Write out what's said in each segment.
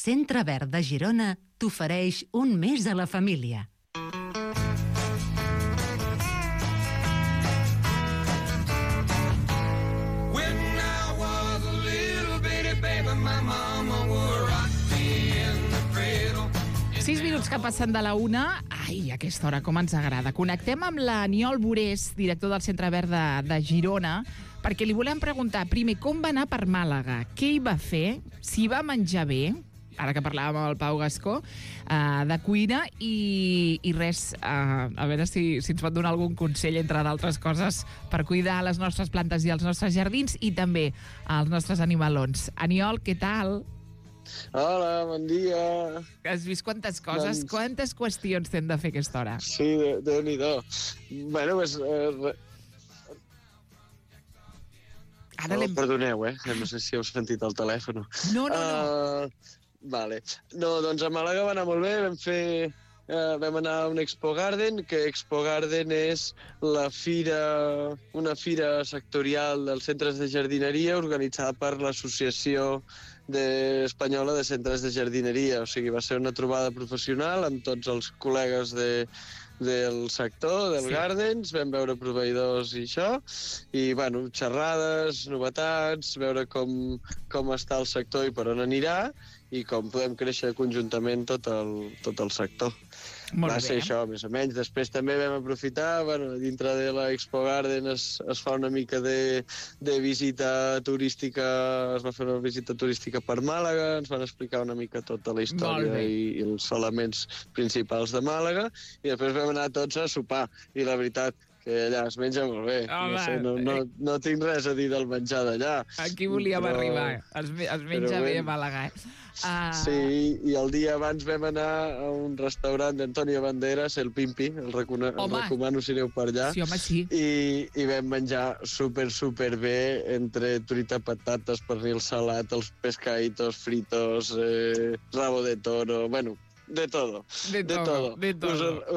Centre Verd de Girona t'ofereix un mes a la família. Sis minuts que passen de la una. Ai, a aquesta hora, com ens agrada. Connectem amb l'Aniol Burés, director del Centre Verd de Girona, perquè li volem preguntar, primer, com va anar per Màlaga? Què hi va fer? Si va menjar bé, ara que parlàvem amb el Pau Gascó, de cuina, i res, a veure si ens pot donar algun consell, entre d'altres coses, per cuidar les nostres plantes i els nostres jardins, i també els nostres animalons. Aniol, què tal? Hola, bon dia. Has vist quantes coses, quantes qüestions t'hem de fer a aquesta hora? Sí, Déu-n'hi-do. Bueno, pues... perdoneu, no sé si heu sentit el telèfon. No. Vale. No, doncs a Màlaga va anar molt bé, vam anar a un Expo Garden, que Expo Garden és una fira sectorial dels centres de jardineria organitzada per l'Associació Espanyola de Centres de Jardineria. O sigui, va ser una trobada professional amb tots els col·legues del sector, del Gardens, vam veure proveïdors i això, i, bueno, xerrades, novetats, veure com està el sector i per on anirà, i com podem créixer conjuntament tot el sector. Va ser això, més o menys. Després també vam aprofitar, dintre de l'Expo Garden es fa una mica de visita turística, es va fer una visita turística per Màlaga, ens van explicar una mica tota la història i els elements principals de Màlaga, i després vam anar tots a sopar, i la veritat que allà es menja molt bé. No tinc res a dir del menjar d'allà. Aquí volíem arribar. Es menja bé a Màlaga, Sí, i el dia abans vam anar a un restaurant d'Antonio Banderas, el Pimpi, el recomano si aneu per allà. Sí, home, sí. I vam menjar super bé, entre truita, patates, pernil salat, els pescaditos fritos, rabo de toro, bueno... De todo. Us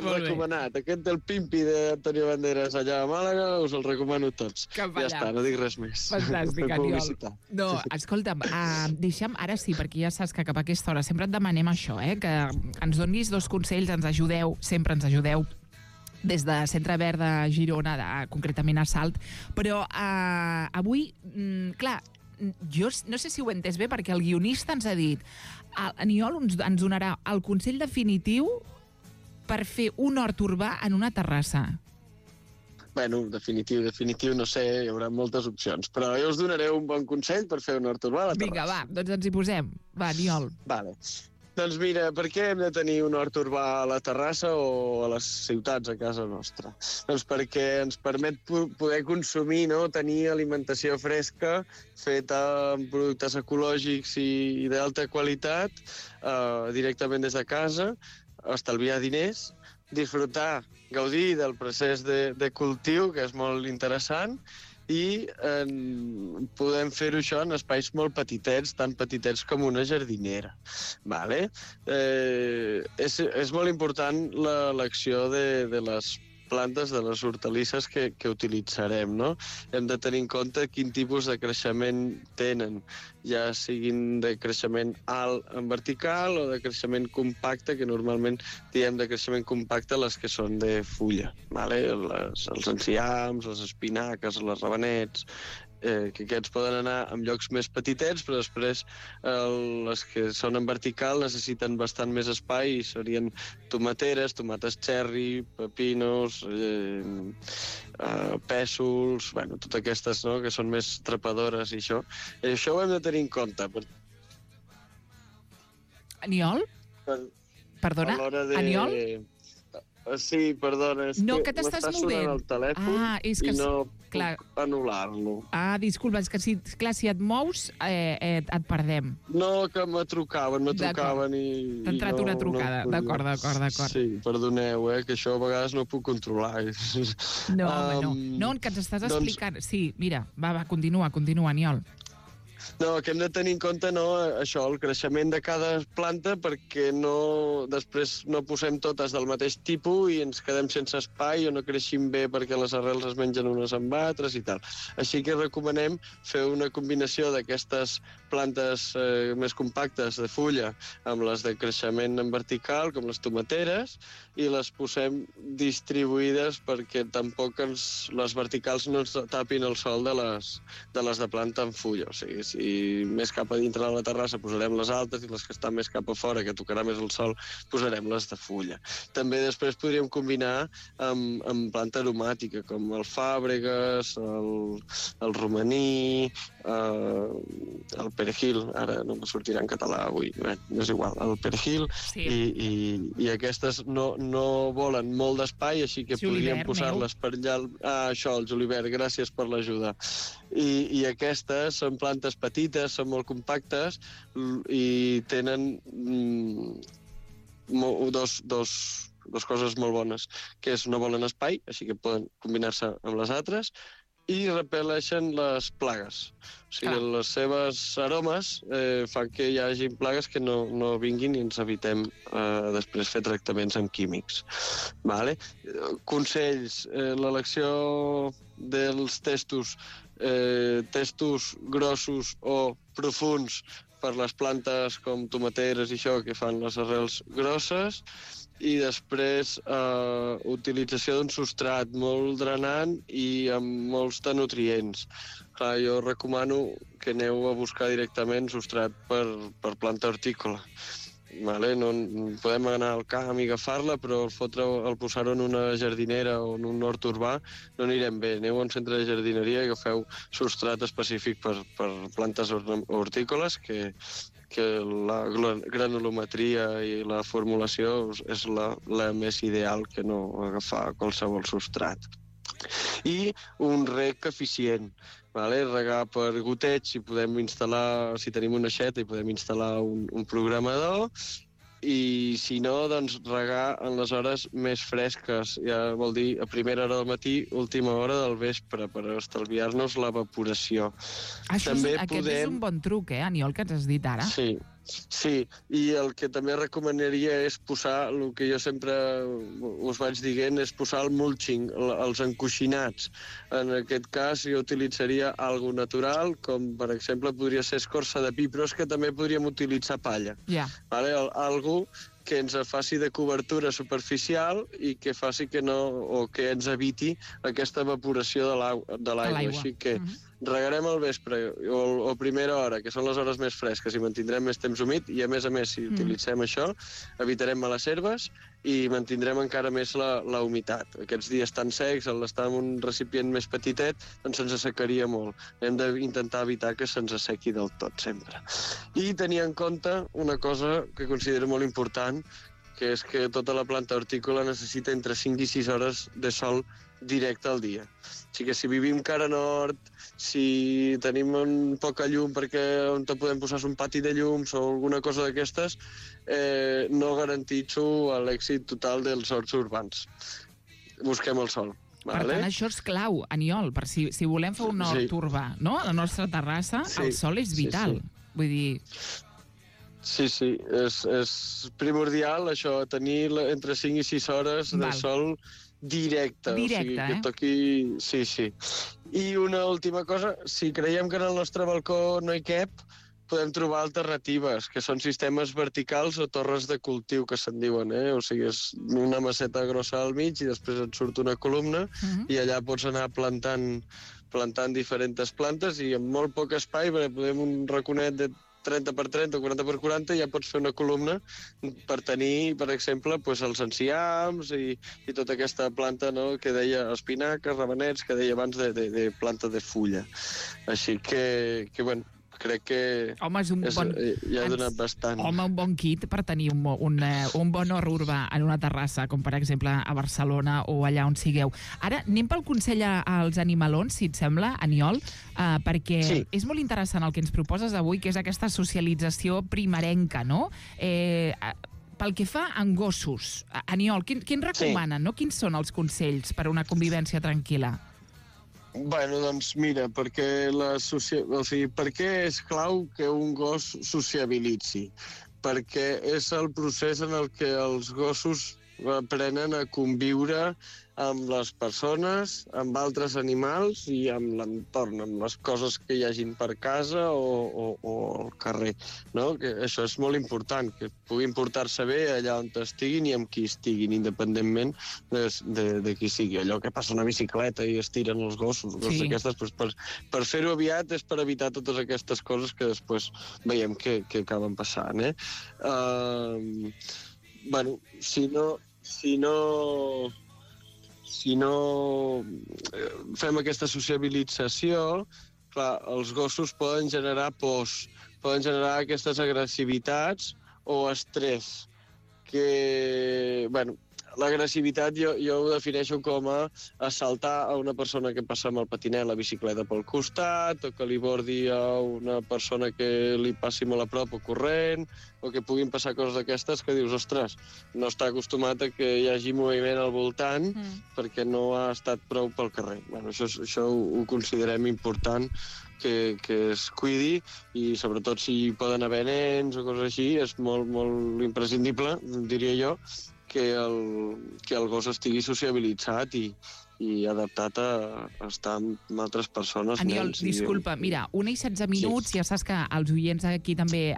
recomanat. Aquest del Pimpi d'Antonio Banderas allà a Màlaga, us el recomano tots. Ja està, no dic res més. Fantàstic, Aniol. No, escolta'm, deixa'm, ara sí, perquè ja saps que cap a aquesta hora sempre et demanem això, que ens donis 2 consells, ens ajudeu, sempre ens ajudeu, des de Centre Verd de Girona, concretament a Salt, però avui, clar, jo no sé si ho he entès bé, perquè el guionista ens ha dit Aniol ens donarà el consell definitiu per fer un hort urbà en una terrassa. Bueno, definitiu, no sé, hi haurà moltes opcions, però jo us donaré un bon consell per fer un hort urbà a la terrassa. Vinga, va, doncs ens hi posem. Va, Aniol. Vale. Doncs mira, per què hem de tenir un hort urbà a la terrassa o a les ciutats a casa nostra? Doncs perquè ens permet poder consumir, tenir alimentació fresca, feta amb productes ecològics i d'alta qualitat, directament des de casa, estalviar diners, disfrutar, gaudir del procés de cultiu, que és molt interessant, i podem fer-ho això en espais molt petitets, tan petitets com una jardinera. Vale? És molt important l'elecció de les plantes, de les hortalisses que utilitzarem, no? Hem de tenir en compte quin tipus de creixement tenen, ja siguin de creixement alt en vertical o de creixement compacte, que normalment diem de creixement compacte les que són de fulla, vale? Els enciams, les espinaques, les rabanets, que aquests poden anar en llocs més petitets, però després les que són en vertical necessiten bastant més espai, i serien tomateres, tomates cherry, pepinos, pèsols, bueno, totes aquestes, no?, que són més trepadores i això. I això ho hem de tenir en compte. Aniol? Perdona? Aniol? Sí, perdona, és que t'estàs movent. Sonant el telèfon i no puc anul·lar-lo. Disculpa, és que si et mous et perdem. No, que me trucaven i... T'ha entrat una trucada, d'acord. Sí, perdoneu, que això a vegades no puc controlar. No, que ens estàs explicant. Sí, mira, va, continua, Aniol. No, que hem de tenir en compte això, el creixement de cada planta, perquè després no posem totes del mateix tipus i ens quedem sense espai o no creixim bé perquè les arrels es mengen unes amb altres i tal. Així que recomanem fer una combinació d'aquestes plantes més compactes de fulla amb les de creixement en vertical, com les tomateres, i les posem distribuïdes perquè tampoc les verticals no ens tapin el sol de les de planta en fulla. O sigui, si més cap a dintre de la terrassa posarem les altes i les que estan més cap a fora, que tocarà més el sol, posarem les de fulla. També després podríem combinar amb planta aromàtica, com el fàbregues, el romaní, el perejil, ara no me sortirà en català avui, és igual, el perejil, sí. I aquestes no volen molt d'espai, així que podríem posar-les per allà. Això, el julivert, gràcies per l'ajuda. I aquestes són plantes petites, són molt compactes i tenen dos coses molt bones, que és no volen espai, així que poden combinar-se amb les altres, i repel·leixen les plagues. O sigui, les seves aromes fan que hi hagi plagues que no vinguin i ens evitem després fer tractaments amb químics. Vale? Consells, l'elecció dels testos grossos o profunds per les plantes com tomateres i això, que fan les arrels grosses, i després utilització d'un substrat molt drenant i amb molts de nutrients. Clar, jo recomano que aneu a buscar directament substrat per planta hortícola. Vale? No podem anar al camp i agafar-la, però el posar-ho en una jardinera o en un hort urbà no anirem bé. Aneu a un centre de jardineria i agafeu substrat específic per plantes hortícoles, que la granulometria i la formulació és la més ideal que no agafar qualsevol substrat. I un reg eficient. Vale? Regar per goteig, si tenim una aixeta i podem instal·lar un programador, i si no, doncs regar en les hores més fresques, ja vol dir a primera hora del matí, última hora del vespre, per estalviar-nos l'evaporació. Aquest és un bon truc, Aniol, que ens has dit ara. Sí, i el que també recomanaria és posar, el que jo sempre us vaig dient, és posar el mulching, els encoixinats. En aquest cas jo utilitzaria algo natural, com per exemple podria ser escorça de pi, però és que també podríem utilitzar palla. Vale? Algo que ens faci de cobertura superficial i que faci que ens eviti aquesta evaporació de l'aigua. Així que regarem al vespre o a primera hora, que són les hores més fresques, i mantindrem més temps humit, i a més, si utilitzem això, evitarem males herbes i mantindrem encara més la humitat. Aquests dies tan secs, al estar en un recipient més petitet, doncs se'ns assecaria molt. Hem d'intentar evitar que se'ns assequi del tot, sempre. I tenir en compte una cosa que considero molt important, que és que tota la planta hortícola necessita entre 5 i 6 hores de sol directe al dia. O sigui que si vivim cara nord, si tenim poca llum perquè on podem posar un pati de llums o alguna cosa d'aquestes, no garantitzo l'èxit total dels horts urbans. Busquem el sol. Per tant, això és clau, Aniol, per si volem fer un hort urbà, no? A la nostra terrassa, el sol és vital. Vull dir... Sí, és primordial això, tenir entre 5 i 6 hores de sol directe. O sigui, que toqui... Sí. I una última cosa, si creiem que en el nostre balcó no hi cap, podem trobar alternatives, que són sistemes verticals o torres de cultiu, que se'n diuen, O sigui, és una maceta grossa al mig i després et surt una columna i allà pots anar plantant diferents plantes i amb molt poc espai, perquè podem un raconet de 30 per 30 o 40 per 40, ja pots fer una columna per tenir, per exemple, els enciams i tota aquesta planta que deia espinaques, ravenets, que deia abans de planta de fulla. Així que bueno, crec que ja ha donat bastant. Home, un bon kit per tenir un bon hort urbà en una terrassa, com per exemple a Barcelona o allà on sigueu. Ara anem pel consell als animalons, si et sembla, Aniol, perquè és molt interessant el que ens proposes avui, que és aquesta socialització primerenca, no? Pel que fa a gossos, Aniol, quin recomanen, no? Quins són els consells per a una convivència tranquil·la? Bueno, doncs mira, perquè per què és clau que un gos sociabilitzi? Perquè és el procés en el que els gossos aprenen a conviure amb les persones, amb altres animals i amb l'entorn, amb les coses que hi hagin per casa o al carrer, no? Que això és molt important, que puguin portar-se bé allà on estiguin i amb qui estiguin, independentment de qui sigui. Allò que passa a una bicicleta i es tiren els gossos, coses aquestes, doncs per fer-ho aviat és per evitar totes aquestes coses que després veiem que acaben passant, eh? Bueno, si no fem aquesta sociabilització, clar, els gossos poden generar pors, poden generar aquestes agressivitats o estrès, que, bueno, l'agressivitat jo ho defineixo com a assaltar a una persona que passa amb el patinet, la bicicleta pel costat, o que li bordi a una persona que li passi molt a prop o corrent, o que puguin passar coses d'aquestes que dius, ostres, no està acostumat a que hi hagi moviment al voltant perquè no ha estat prou pel carrer. Bueno, això ho considerem important, que es cuidi, i sobretot si poden haver nens o coses així, és molt, molt imprescindible, diria jo, que el gos estigui sociabilitzat i adaptat a estar amb altres persones. Aniol, disculpa, mira, 1:16 minuts, ja saps que els oients aquí també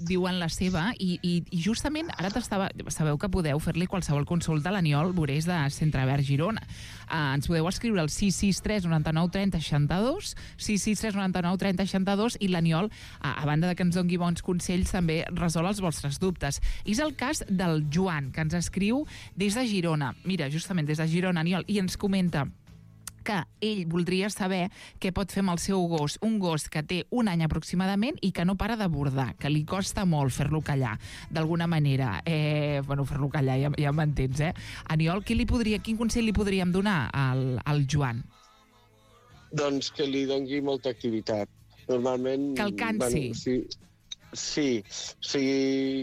diuen la seva, i justament ara sabeu que podeu fer-li qualsevol consulta a l'Aniol Burés de Centre Verd Girona. Ens podeu escriure al 663 99 30 62, 663 99 30 62, i l'Aniol, a banda de que ens doni bons consells, també resol els vostres dubtes. És el cas del Joan, que ens escriu des de Girona. Mira, justament des de Girona, Aniol, i ens comenta que ell voldria saber què pot fer amb el seu gos, un gos que té 1 any aproximadament i que no para de bordar, que li costa molt fer-lo callar, d'alguna manera. Bueno, fer-lo callar, ja m'entens, eh? Aniol, quin consell li podríem donar al Joan? Doncs que li doni molta activitat. Normalment... Que el cansi. Bueno, sí,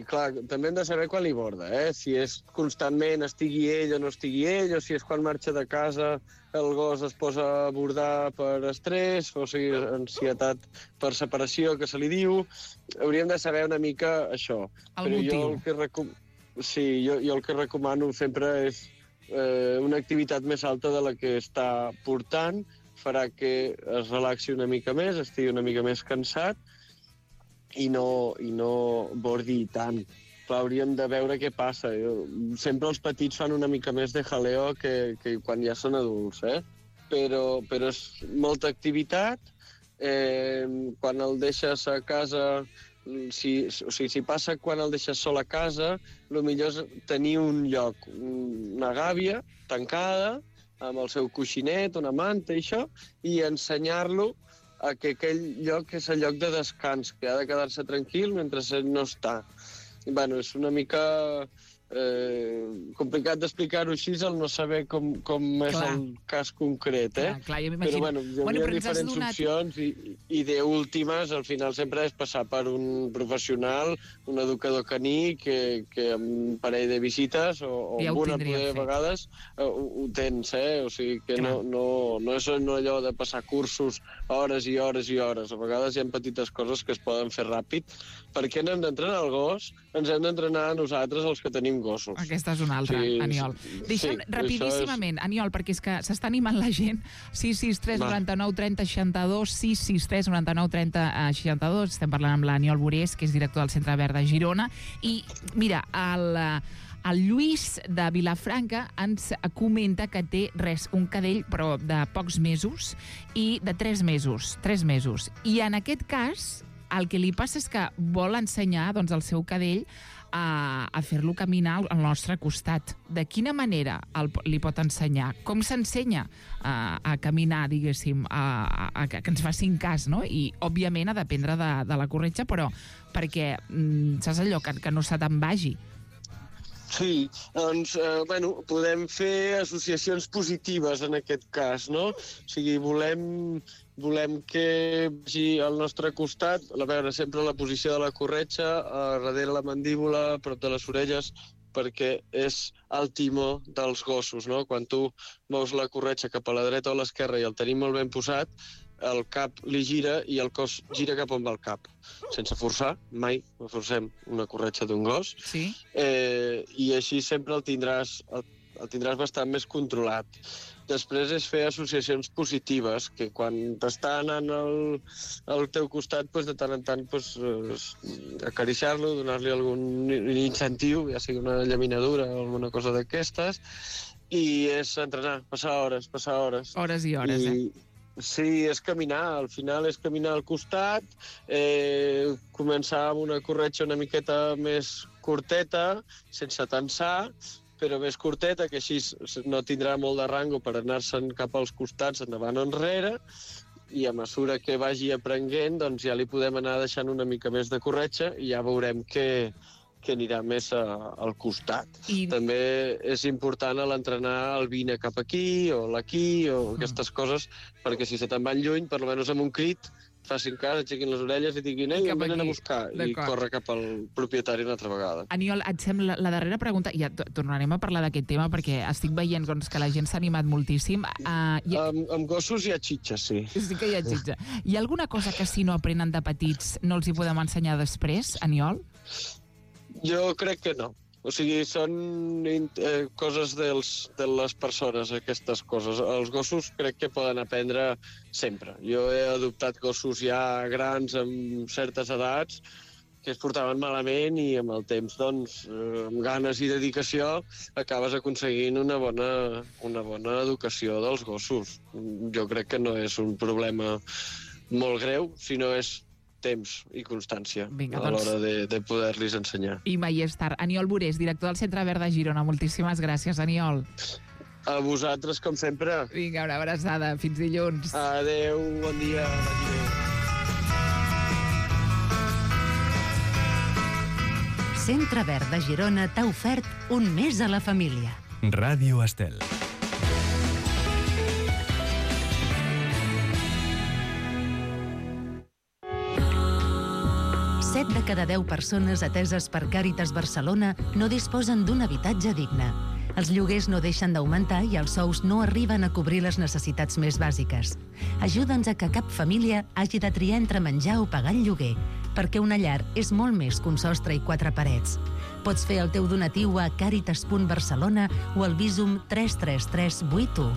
clar, també hem de saber quan li borda, si és constantment, estigui ell o no estigui ell, o si és quan marxa de casa el gos es posa a bordar per estrès, o sigui, ansietat per separació, que se li diu. Hauríem de saber una mica això. El motiu. Jo el que recomano sempre és una activitat més alta de la que està portant, farà que es relaxi una mica més, estigui una mica més cansat, i no bordi tant. Clar, hauríem de veure què passa. Sempre els petits fan una mica més de jaleo que quan ja són adults, però és molta activitat. Quan el deixes a casa, si passa quan el deixes sol a casa, el millor és tenir un lloc, una gàbia tancada, amb el seu coixinet, una manta i això, i ensenyar-lo a que aquell lloc és el lloc de descans, que ha de quedar-se tranquil mentre ell no està. Bueno, és una mica complicat d'explicar-ho així, el no saber com és el cas concret, Clar, jo però bueno, hi ha diferents opcions i d'últimes, al final sempre és passar per un professional, un educador caní, que amb un parell de visites o ja una de vegades ho tens, o sigui que no és allò de passar cursos hores i hores i hores. A vegades hi ha petites coses que es poden fer ràpid. Per què no hem d'entrenar el gos? Ens hem d'entrenar a nosaltres, els que tenim gossos. Aquesta és una altra, Aniol. Deixa'm rapidíssimament, Aniol, perquè és que s'està animant la gent. 663 99 30 62, 663 99 30 62. Estem parlant amb l'Aniol Burés, que és director del Centre Verd de Girona. I, mira, el Lluís de Vilafranca ens comenta que té un cadell, però de pocs mesos, i de 3 mesos. I en aquest cas, el que li passa és que vol ensenyar al seu cadell a fer-lo caminar al nostre costat. De quina manera li pot ensenyar? Com s'ensenya a caminar, diguéssim, que ens facin cas, no? I, òbviament, ha d'aprendre de la corretja, però perquè, saps allò, que no se te'n vagi. Sí, doncs, podem fer associacions positives en aquest cas, no? O sigui, volem que vagi al nostre costat, a veure, sempre la posició de la corretja, darrere la mandíbula, prop de les orelles, perquè és el timó dels gossos, no? Quan tu mous la corretja cap a la dreta o a l'esquerra i el tenim molt ben posat, el cap li gira i el cos gira cap on va el cap. Sense forçar, mai forcem una corretja d'un gos. Sí. I així sempre el tindràs bastant més controlat. Després és fer associacions positives, que quan t'està anant al teu costat, de tant en tant acariciar-lo, donar-li algun incentiu, ja sigui una llaminadura o alguna cosa d'aquestes, i és entrenar, passar hores. Hores i hores, Sí, és caminar, al final és caminar al costat, començar amb una corretja una miqueta més curteta, sense tensar, però més curteta, que així no tindrà molt de rango per anar-se'n cap als costats, endavant o enrere, i a mesura que vagi aprenent, doncs ja li podem anar deixant una mica més de corretja i ja veurem que anirà més al costat. També és important l'entrenar el vine cap aquí o l'aquí o aquestes coses, perquè si se te'n van lluny, per almenys amb un crit, facin cas, aixequin les orelles i diguin ei, em venen a buscar, i corre cap al propietari una altra vegada. Aniol, et sembla la darrera pregunta, ja tornarem a parlar d'aquest tema perquè estic veient que la gent s'ha animat moltíssim. Amb gossos hi ha xitxa, sí. Sí que hi ha xitxa. Hi ha alguna cosa que si no aprenen de petits no els hi podem ensenyar després, Aniol? Jo crec que no. O sigui, són coses de les persones, aquestes coses. Els gossos crec que poden aprendre sempre. Jo he adoptat gossos ja grans amb certes edats que es portaven malament i amb el temps, doncs, amb ganes i dedicació, acabes aconseguint una bona educació dels gossos. Jo crec que no és un problema molt greu, sinó és temps i constància a l'hora de poder-los ensenyar. I mai és tard. Aniol Burés, director del Centre Verd de Girona. Moltíssimes gràcies, Aniol. A vosaltres, com sempre. Vinga, una abraçada. Fins dilluns. Adéu, bon dia. Centre Verd de Girona t'ha ofert un mes a la família. Ràdio Estel. 7 de cada 10 persones ateses per Càritas Barcelona no disposen d'un habitatge digne. Els lloguers no deixen d'augmentar i els sous no arriben a cobrir les necessitats més bàsiques. Ajuda'ns a que cap família hagi de triar entre menjar o pagar el lloguer, perquè una llar és molt més que un sostre i 4 parets. Pots fer el teu donatiu a caritas.barcelona o al Bizum 33381.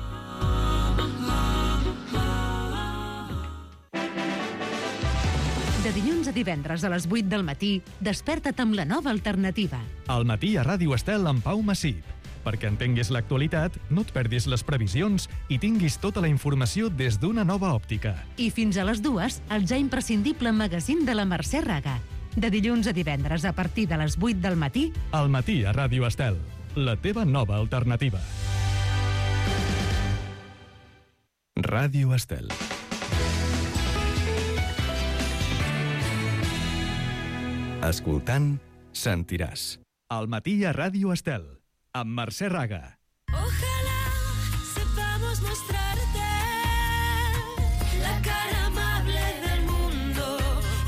De dilluns a divendres a les 8 del matí, desperta't amb la nova alternativa. Al matí a Ràdio Estel amb Pau Massip. Perquè entenguis l'actualitat, no et perdis les previsions i tinguis tota la informació des d'una nova òptica. I fins a les 2, el ja imprescindible magazín de la Mercè Raga. De dilluns a divendres a partir de les 8 del matí... Al matí a Ràdio Estel, la teva nova alternativa. Ràdio Estel. Escoltant, sentiràs. Al matí a Ràdio Estel, amb Mercè Raga. Ojalá sepamos mostrarte la cara amable del mundo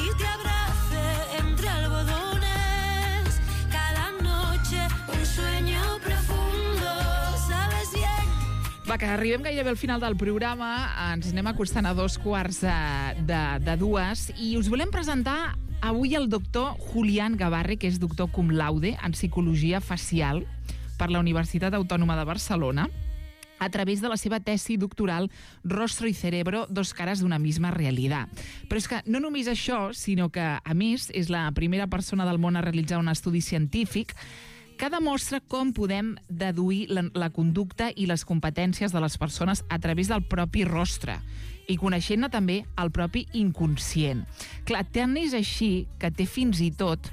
y te abrace entre algodones cada noche un sueño profundo, sabes bien. Va, que arribem gairebé al final del programa, ens anem acostant a 2:45 i us volem presentar avui el doctor Julián Gabarre, que és doctor cum laude en psicologia facial per la Universitat Autònoma de Barcelona, a través de la seva tesi doctoral Rostro y cerebro, dos caras d'una misma realidad. Però és que no només això, sinó que, a més, és la primera persona del món a realitzar un estudi científic que demostra com podem deduir la conducta i les competències de les persones a través del propi rostre i coneixent-ne també el propi inconscient. Clar, tant és així que té fins i tot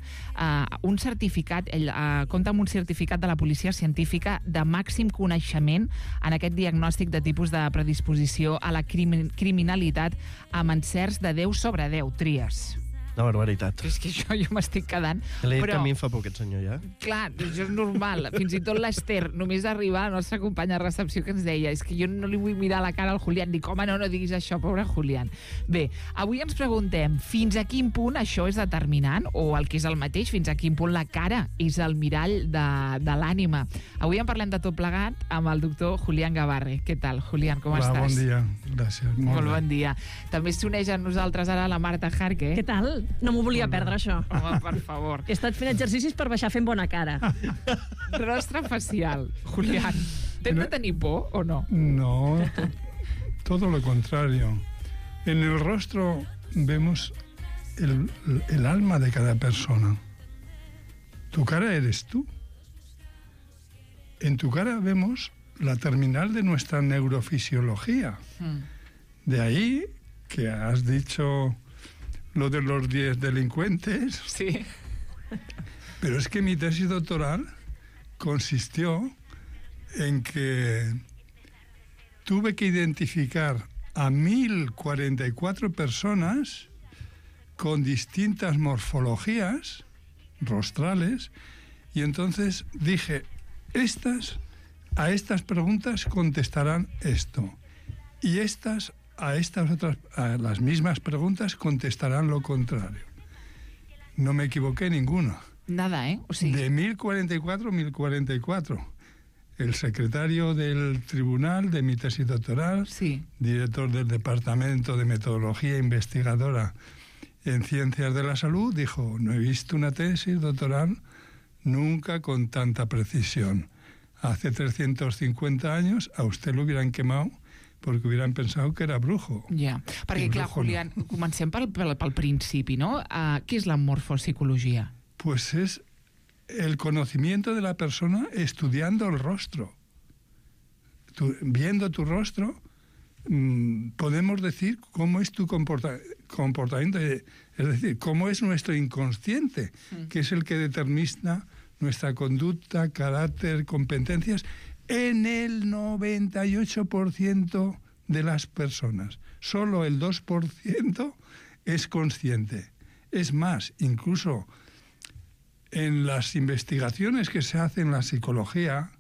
un certificat, ell compta amb un certificat de la policia científica de màxim coneixement en aquest diagnòstic de tipus de predisposició a la criminalitat amb encerts de 10 sobre 10 tries. Una barbaritat. És que jo m'estic quedant. L'he dit Però, que a mi em fa por aquest senyor, ja. clar, això és normal. Fins i tot l'Ester, només arribar, la nostra companya de recepció, que ens deia és que jo no li vull mirar la cara al Julián. Dic, home, no diguis això, pobre Julián. Bé, avui ens preguntem fins a quin punt això és determinant, o el que és el mateix, fins a quin punt la cara és el mirall de l'ànima. Avui en parlem de tot plegat amb el doctor Julián Gabarre. Què tal, Julián, com estàs? Bon dia, gràcies. Molt bon dia. També s'uneix a nosaltres ara la Marta Jarque. Què tal? No m'ho volia perdre, això. Home, per favor. He estat fent exercicis per baixar fent bona cara. Rostre facial. Julián, t'hem de tenir por o no? No, todo lo contrario. En el rostro vemos el alma de cada persona. Tu cara eres tú. En tu cara vemos la terminal de nuestra neurofisiología. De ahí que has dicho lo de los 10 delincuentes. Sí. Pero es que mi tesis doctoral consistió en que tuve que identificar a 1.044 personas con distintas morfologías rostrales, y entonces dije, a estas preguntas contestarán esto, y a las mismas preguntas contestarán lo contrario. No me equivoqué ninguno. Nada, ¿eh? O sigui... De 1044. El secretario del tribunal de mi tesis doctoral, sí. Director del Departamento de Metodología Investigadora en Ciencias de la Salud, dijo, no he visto una tesis doctoral nunca con tanta precisión. Hace 350 años a usted lo hubieran quemado porque hubieran pensado que era brujo. Ja, perquè clar, Julián, comencem pel principi, no? Què és la morfopsicologia? Pues es el conocimiento de la persona estudiando el rostro. Viendo tu rostro, podemos decir cómo es tu comportamiento, es decir, cómo es nuestro inconsciente, que es el que determina nuestra conducta, carácter, competencias, en el 98% de las personas. Solo el 2% es consciente. Es más, incluso en las investigaciones que se hacen en la psicología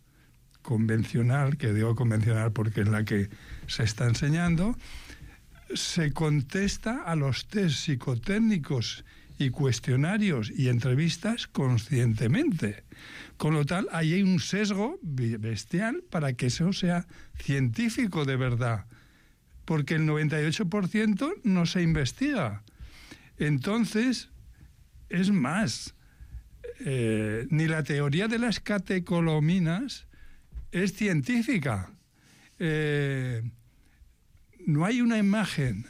convencional, que digo convencional porque es la que se está enseñando, se contesta a los test psicotécnicos y cuestionarios y entrevistas conscientemente. Con lo tal, ahí hay un sesgo bestial para que eso sea científico de verdad, porque el 98% no se investiga. Entonces, es más, ni la teoría de las catecolaminas es científica. No hay una imagen,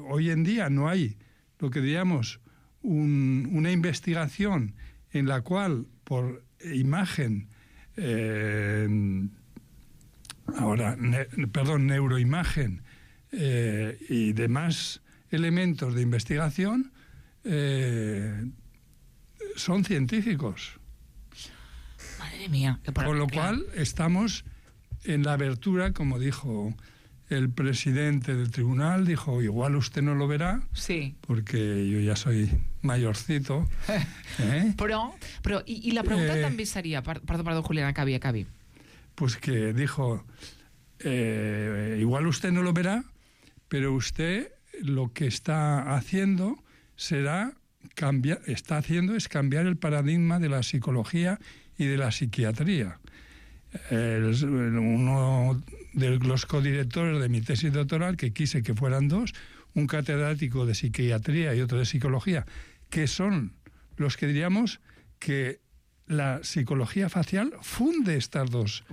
hoy en día no hay lo que diríamos una investigación en la cual por imagen, neuroimagen y demás elementos de investigación son científicos. Madre mía. Con lo cual estamos en la abertura, como dijo el presidente del tribunal, dijo, igual usted no lo verá, sí, porque yo ya soy mayorcito. Però i la pregunta també seria... Perdó, Julián, acabi. Pues que dijo, igual usted no lo verá, pero usted lo que está haciendo es cambiar el paradigma de la psicología y de la psiquiatría. Uno de los codirectores de mi tesis doctoral, que quise que fueran dos, un catedrático de psiquiatría y otro de psicología, que son los que diríamos que la psicología facial funde estos dos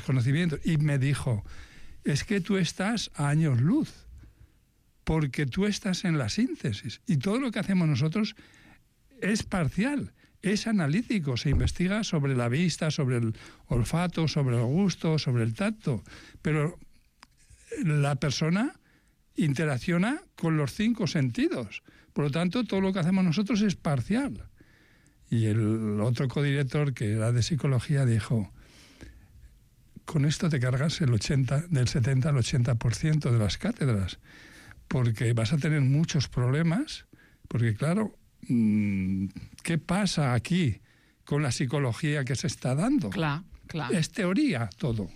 conocimientos. Y me dijo, es que tú estás a años luz, porque tú estás en la síntesis, y todo lo que hacemos nosotros es parcial, es analítico, se investiga sobre la vista, sobre el olfato, sobre el gusto, sobre el tacto, pero la persona interacciona con los 5 sentidos. Por lo tanto, todo lo que hacemos nosotros es parcial. Y el otro codirector, que era de psicología, dijo, con esto te cargas del 70 al 80% de las cátedras, porque vas a tener muchos problemas, porque claro, ¿qué pasa aquí con la psicología que se está dando? Clar. Es teoría todo.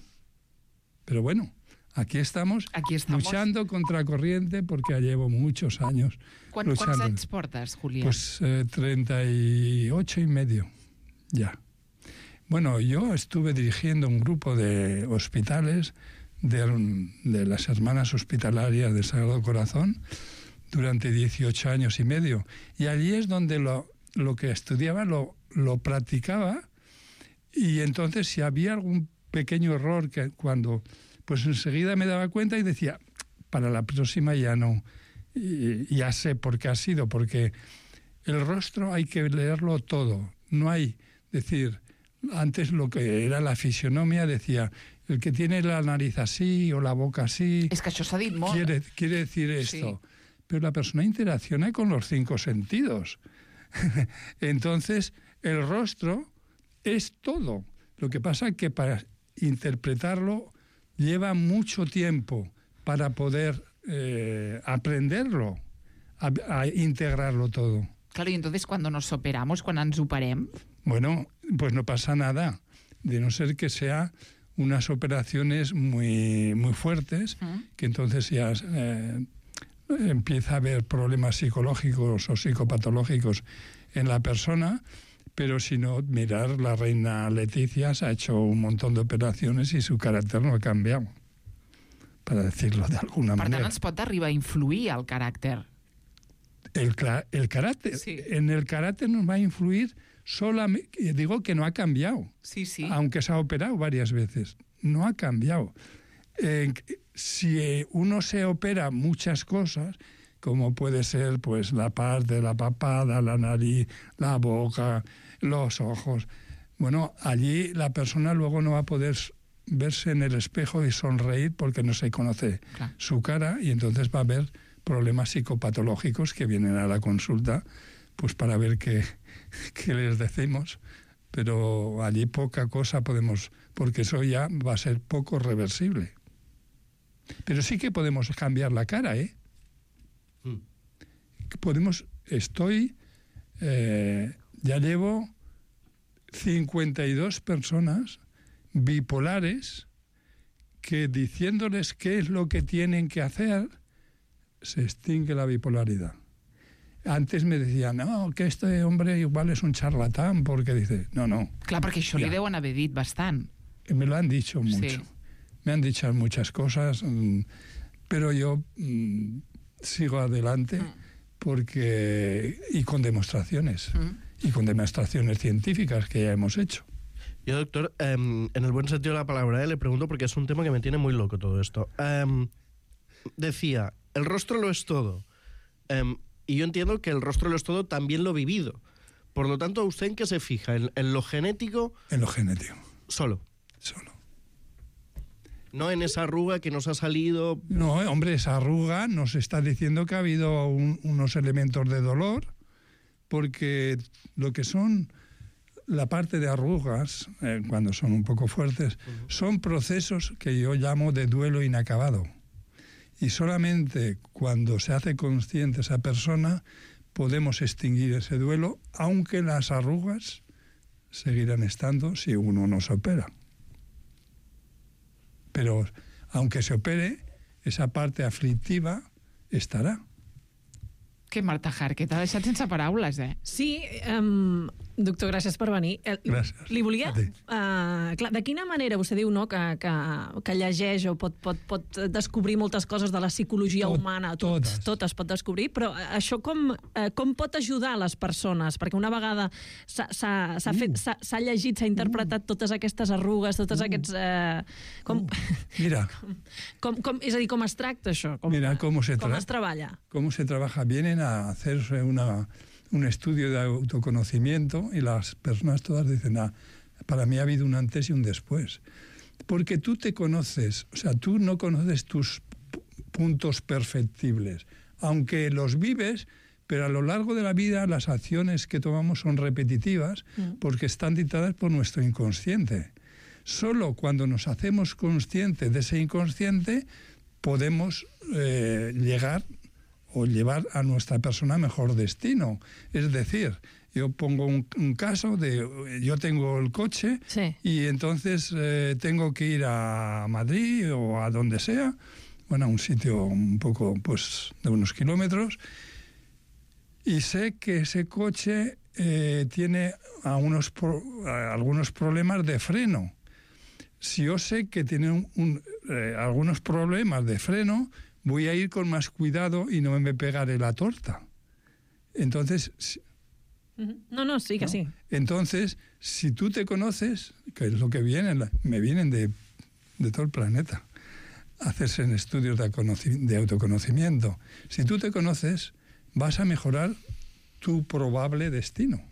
Pero bueno, aquí estamos luchando contra corriente porque ya llevo muchos años Quants luchando. anys portes, Julián? Pues 38 y medio, ya. Bueno, yo estuve dirigiendo un grupo de hospitales de las Hermanas Hospitalarias del Sagrado Corazón durante 18 años y medio. Y allí es donde lo que estudiaba lo practicaba, y entonces si había algún pequeño error que cuando... Pues enseguida me daba cuenta y decía, para la próxima ya no, ya sé por qué ha sido, porque el rostro hay que leerlo todo, no hay, decir, antes lo que era la fisionomía decía, el que tiene la nariz así o la boca así... És que això s'ha dit molt. Quiere decir esto. Sí. Pero la persona interacciona con los 5 sentidos. Entonces, el rostro es todo. Lo que pasa es que para interpretarlo lleva mucho tiempo para poder aprenderlo, a integrarlo todo. Claro, y entonces cuando nos operamos, cuando ens operem... Bueno, pues no pasa nada, de no ser que sea unas operaciones muy, muy fuertes, que entonces ya empieza a haber problemas psicológicos o psicopatológicos en la persona, pero si no, mirar, la reina Leticia se ha hecho un montón de operaciones y su carácter no ha cambiado, para decirlo de alguna manera. Per tant, ens pot arribar a influir el caràcter. El carácter, sí. En el carácter nos va a influir solamente, digo que no ha cambiado, sí. Aunque se ha operado varias veces, no ha cambiado. Si uno se opera muchas cosas, como puede ser pues la parte de la papada, la nariz, la boca, los ojos, bueno, allí la persona luego no va a poder verse en el espejo y sonreír porque no se conoce su cara, y entonces va a haber problemas psicopatológicos que vienen a la consulta pues para ver qué les decimos, pero allí poca cosa podemos, porque eso ya va a ser poco reversible. Pero sí que podemos cambiar la cara, ¿eh? Ya llevo 52 personas bipolares que diciéndoles qué es lo que tienen que hacer, se extingue la bipolaridad. Antes me decían, no, que este hombre igual es un charlatán, porque dice, no. Clar, perquè això li deuen haver dit bastant. Me lo han dicho mucho. Sí. Me han dicho muchas cosas, pero yo sigo adelante y con demostraciones científicas que ya hemos hecho. Yo, doctor, en el buen sentido de la palabra, le pregunto porque es un tema que me tiene muy loco todo esto. Decía, el rostro lo es todo. Y yo entiendo que el rostro lo es todo, también lo vivido. Por lo tanto, ¿usted en qué se fija? ¿En lo genético? En lo genético. Solo. No en esa arruga que nos ha salido... No, hombre, esa arruga nos está diciendo que ha habido unos elementos de dolor, porque lo que son la parte de arrugas, cuando son un poco fuertes, son procesos que yo llamo de duelo inacabado. Y solamente cuando se hace consciente esa persona podemos extinguir ese duelo, aunque las arrugas seguirán estando si uno no se opera. Pero aunque se opere, esa parte aflictiva estarà. Que Marta Hart, que t'ha deixat sense paraules, eh? Sí, doctor, gràcies per venir. Gràcies. Li volia... clar, de quina manera vostè diu, no, que llegeix o pot descobrir moltes coses de la psicologia humana? Totes pot descobrir, però això com pot ajudar les persones? Perquè una vegada s'ha llegit, s'ha interpretat totes aquestes arrugues, tots aquests... Mira. És a dir, com es tracta això? Com es treballa? Com se trabaja. Vienen a hacerse un estudio de autoconocimiento y las personas todas dicen, para mí ha habido un antes y un después. Porque tú te conoces, o sea, tú no conoces tus puntos perfectibles, aunque los vives, pero a lo largo de la vida las acciones que tomamos son repetitivas porque están dictadas por nuestro inconsciente. Solo cuando nos hacemos conscientes de ese inconsciente podemos llegar o llevar a nuestra persona a mejor destino. Es decir, yo pongo un caso de, yo tengo el coche y entonces tengo que ir a Madrid o a donde sea, bueno, a un sitio un poco, pues, de unos kilómetros, y sé que ese coche tiene algunos problemas de freno. Si yo sé que tiene algunos problemas de freno, voy a ir con más cuidado y no me pegaré la torta. Entonces... Sí que sí. Entonces, si tú te conoces, que es lo que me vienen de todo el planeta, hacerse en estudios de autoconocimiento. Si tú te conoces, vas a mejorar tu probable destino.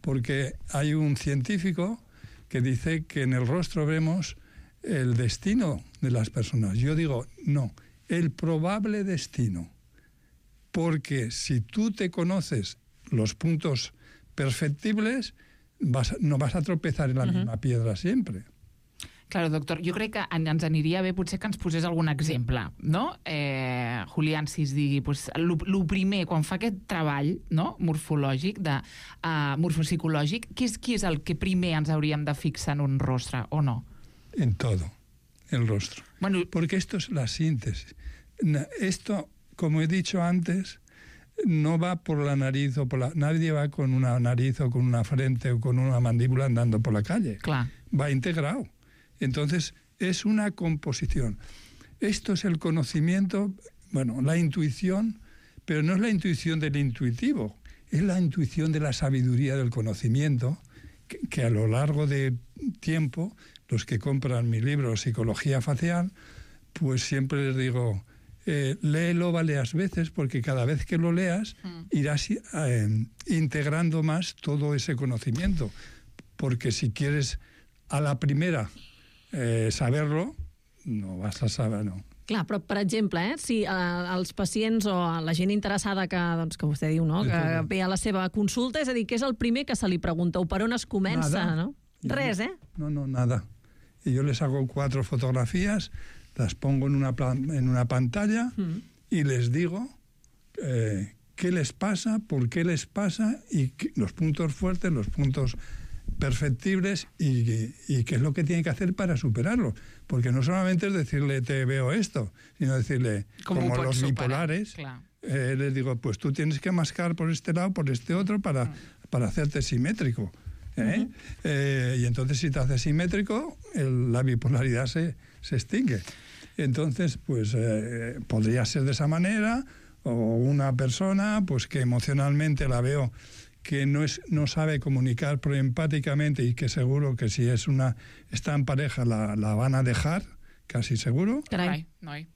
Porque hay un científico que dice que en el rostro vemos el destino de las personas. Yo digo, no, el probable destino. Porque si tú te conoces los puntos perfectibles, no vas a tropezar en la misma piedra siempre. Claro, doctor, jo crec que ens aniria bé potser que ens posés algun exemple, no? Julián, si es digui, pues, lo primer, quan fa aquest treball, no?, morfològic, morfopsicològic, qui és el que primer ens hauríem de fixar en un rostre, o no? En todo, el rostro. Bueno, porque esto es la síntesis. Esto, como he dicho antes, no va por la nariz o nadie va con una nariz o con una frente o con una mandíbula andando por la calle. Clar. Va integrado. Entonces, es una composición. Esto es el conocimiento, bueno, la intuición, pero no es la intuición del intuitivo, es la intuición de la sabiduría del conocimiento, que a lo largo de tiempo, los que compran mi libro Psicología Facial, pues siempre les digo, léelo varias veces, porque cada vez que lo leas irás integrando más todo ese conocimiento. Porque si quieres a la primera saber-lo, no vas a saber, no. Clar, però, per exemple, si els pacients o la gent interessada que vostè diu, no?, que ve a la seva consulta, és a dir, què és el primer que se li pregunta o per on es comença, nada. No? Res, No, nada. Y yo les hago 4 fotografías, las pongo en una pantalla y les digo qué les pasa, por qué les pasa y los puntos fuertes, los puntos perfectibles y qué es lo que tiene que hacer para superarlo. Porque no solamente es decirle te veo esto, sino decirle, como los bipolares, les digo, pues tú tienes que mascar por este lado, por este otro, para hacerte simétrico. Y entonces si te haces simétrico, la bipolaridad se extingue. Entonces, pues podría ser de esa manera, o una persona pues que emocionalmente la veo que no sabe comunicar proempáticamente y que seguro que si está en pareja la van a dejar, casi seguro. Carai, noi.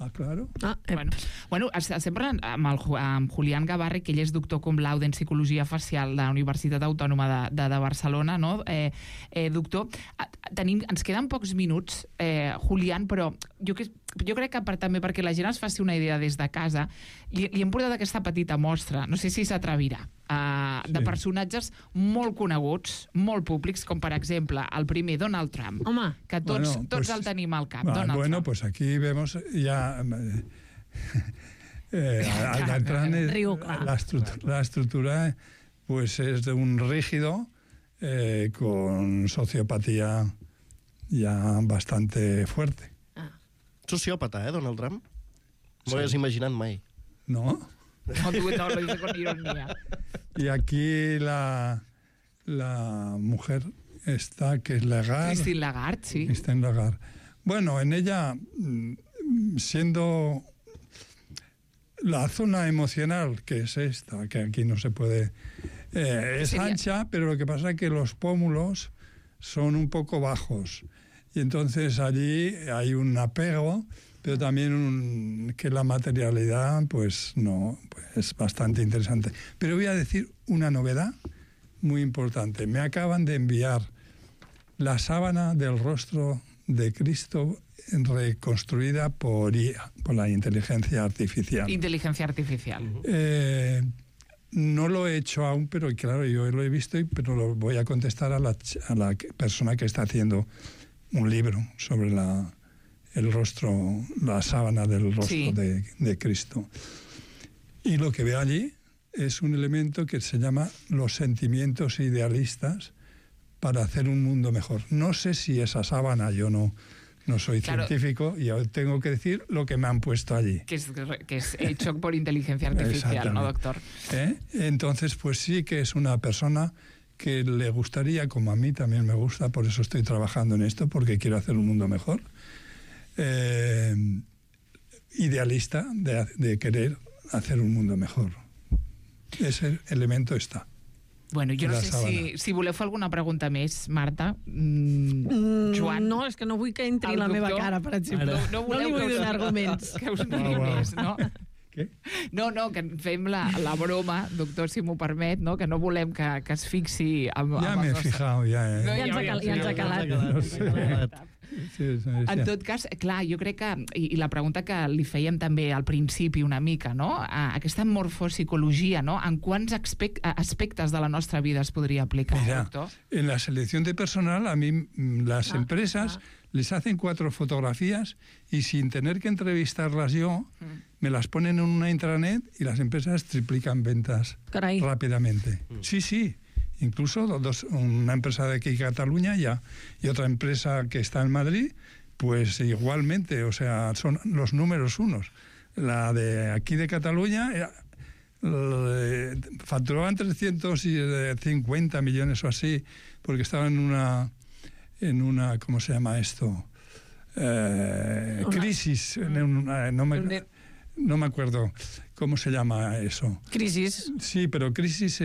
Ah, claro. Bueno, sempre amb Julián Gavarri, que ell és doctor cum laude en Psicologia Facial de la Universitat Autònoma de Barcelona, no? Doctor, ens queden pocs minuts, Julián, però jo crec que també perquè la gent es faci una idea des de casa, li hem portat aquesta petita mostra, no sé si s'atrevirà, de personatges molt coneguts, molt públics, com per exemple el primer, Donald Trump. Home. Que tots el tenim al cap, Donald Trump. Bueno, pues aquí vemos ya... la estructura pues es de un rígido con sociopatía ya bastante fuerte. Sociópata, Donald Trump? No ho hagués imaginat mai. No. No, lo dice con ironía. Y aquí la mujer está, que es Lagarde. Christine Lagarde, sí. Christine Lagarde. Bueno, en ella, siendo la zona emocional, que es esta, que aquí no se puede... es ancha, pero lo que pasa es que los pómulos son un poco bajos. Y entonces allí hay un apego, pero también que la materialidad, pues no, pues es bastante interesante. Pero voy a decir una novedad muy importante. Me acaban de enviar la sábana del rostro de Cristo reconstruida por IA, por la inteligencia artificial. Inteligencia artificial. No lo he hecho aún, pero claro, yo lo he visto, pero lo voy a contestar a la persona que está haciendo un libro sobre el rostro, la sábana del rostro de Cristo. Y lo que veo allí es un elemento que se llama los sentimientos idealistas para hacer un mundo mejor. No sé si esa sábana, yo no soy científico y tengo que decir lo que me han puesto allí. Que es hecho por inteligencia artificial, ¿no, doctor? Entonces, pues sí que es una persona que le gustaría, como a mí también me gusta, por eso estoy trabajando en esto, porque quiero hacer un mundo mejor, idealista de querer hacer un mundo mejor. Ese elemento està. Bueno, jo no sé si voleu fer alguna pregunta més, Marta. Joan? No, és que no vull que entri la meva cara, per exemple. No li vull donar arguments. Que us digui més, no? Què? No, que fem la broma, doctor, si m'ho permet, no? Que no volem que es fixi amb ja m'he fijat, ja. Ja ens ha calat. En tot cas, clar, jo crec que, i la pregunta que li fèiem també al principi una mica, no? Aquesta morfopsicologia, no? En quants aspectes de la nostra vida es podria aplicar, doctor? En la selección de personal, a mí las empresas les hacen 4 fotografías y sin tener que entrevistarlas yo, me las ponen en una intranet y las empresas triplican ventas rápidamente. Sí. Incluso una empresa de aquí de Cataluña y otra empresa que está en Madrid, pues igualmente, o sea, son los números unos. La de aquí de Cataluña facturaban 350 millones o así, porque estaba en una ¿cómo se llama esto? Crisis. No me acuerdo cómo se llama eso. Crisis. Sí, pero crisis...